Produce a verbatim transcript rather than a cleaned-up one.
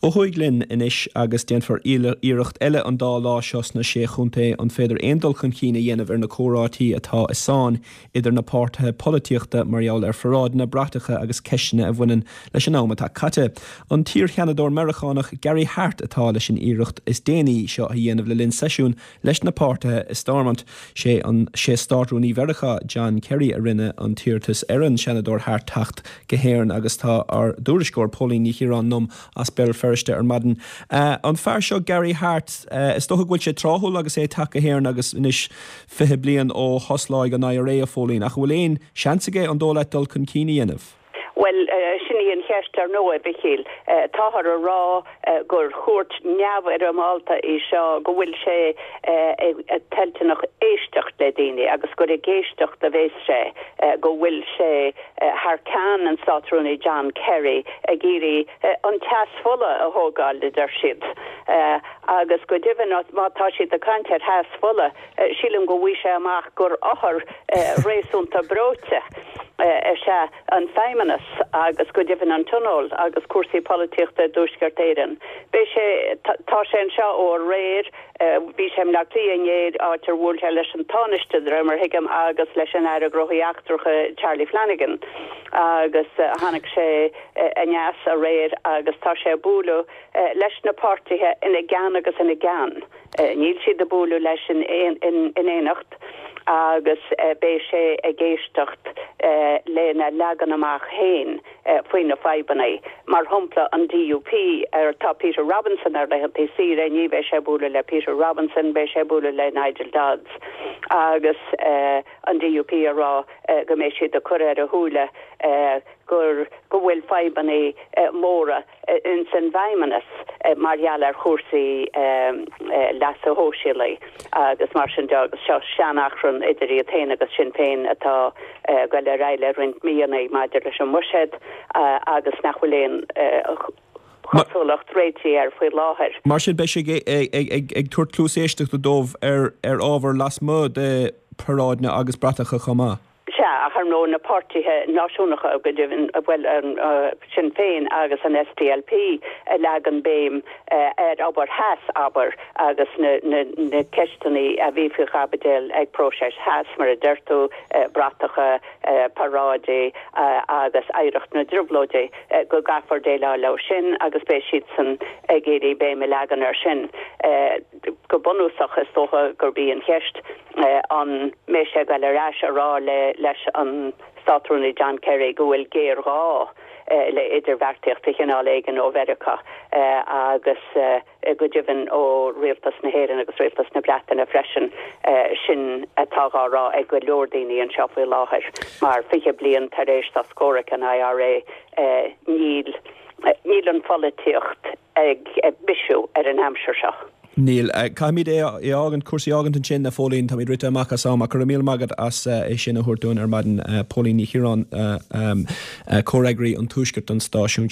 Ó thuaidh linn anois agus déanfar iarracht eile an dá lá seo sna sé chontae an féidir aon dul chun cinn a dhéanamh ar na comhráití atá i sáinn idir na páirtithe polaitíochta mar gheall ar pharáideanna bratacha agus ceisteanna a bhaineann leis an am atá caite. An t-iarsheanadóir Meiriceánach Gary Hart atá leis an iarracht is déanaí seo a dhéanamh le linn seisiún leis na páirtithe i Stormont sé an sé Státrúnaí Mheiriceá John Kerry a rinne an t-iarratas ar an Seanadóir Hart teacht go hÉirinn agus tá ár dtuairisceoir Póilín Ní Chiaráin liom as Béal Feirste ar maidin. Uh, an fear seo Gary Hart uh, is dócha go bhfuil sé tráthúil agus é teacht go hÉirinn agus anois fiche bliain ó thosláigh an IRA a Phóilín ach bhfuil aon seans aige an dóigh leat dul chun cinn a dhéanamh. Well uh, sin í an cheist ar ndóigh a Mhíchíl uh, táthar a rá uh, gur chuairt neamhfhoirmeálta í seo go bhfuil sé uh, toilteanach éisteacht le daoine agus gur ag éisteacht a bheas sé uh, go bhfuil sé uh, thar ceann an Státrúnaí John Kerry ag iarraidh uh, an teas fola a thógáil a deir siad. Uh, agus go deimhin má tá siad ag caint ar theas fola uh, sílim go bhfuil sé amach gur othar uh, réasúnta breoite. Uh, sé an feidhmeannas agus go deimhin an tionól agus cúrsaí polaitíochta i dTuaisceart Éireann. Beidh sé tá sé anseo ó aréir bhí sé le inné áit ar bhuail sé leis an Tánaiste mar thuigim agus leis an Aire Gnóthaí Eachtracha Charlie Flanagan agus tháinig sé aneas aréir agus tá sé ag bualadh leis na páirtithe ina gceann agus ina gceann. Níl siad ag bualadh leis in in éineacht agus beidh sé ag éisteacht lena leagan amach féin faoi na fadhbanna. Mar shampla an DUP ar tá Peter Robinson ar laethanta saoire ní bheidh sé ag bualadh le Peter Robinson beidh sé ag bualadh le Nigel Dodds agus uh, an DUP a rá uh, go mbeidh siad ag cur ar a shúile uh, gur go bhfuil fadhbanna uh, móra uh, in san bhfeidhmeannas uh, mar gheall ar chúrsaí um, uh, leasa shóisialaigh agus mar sin de agus seo seanachrann idir iad féin agus Sinn Féin atá uh, go le réile roinnt míonna maidir leis an mbuiséad uh, agus nach bhfuil aon uh, chosúlacht réitigh air faoi láthair. Mar sin beidh sé ag ag tabhairt cluas éisteachta dóibh ar ar ábhar lasmuigh de paráideanna agus bratacha chomh maith. Sea ach nó na páirtithe náisiúnacha go deimhin bhfuil an uh, Sinn Féin agus an SDLP a leagan béim uh, ar obair Haass abair agus na, na, na ceisteanna a bhí faoi chaibidil ag próiseas Haass mar a deir tú uh, bratacha uh, paráidí uh, agus oidhreacht na dtrioblóidí uh, go gcaithfear déileáil leo sin agus beidh siadsan ag iarraidh béim a leagan ar sin. Uh, go bunúsach is dócha gurb í an cheist uh, an mbeidh sé ag dul ar ais a rá le leis an Státrúnaí John Kerry go bhfuil géarghá uh, le idirbheartaíocht de chineál éigin ó Mheiriceá uh, agus uh, go deimhin ó rialtas na hÉireann agus rialtas na Breataine freisin uh, sin atá á rá ag go leor daoine anseo faoi láthair mar fiche bliain tar éis sos comhraic an IRA uh, níl níl an pholaitíocht ag bisiú ar an aimsir seo. Níl Caithfimid é fhágaint cúrsaí fhágaint ansin a Phóilín táimid rite amach as am go míle maith agat as é sin a thabhairt dúinn ar maidin Póilín Ní Chiaráin comhfhreagraí an Tuaiscirt an stáisiún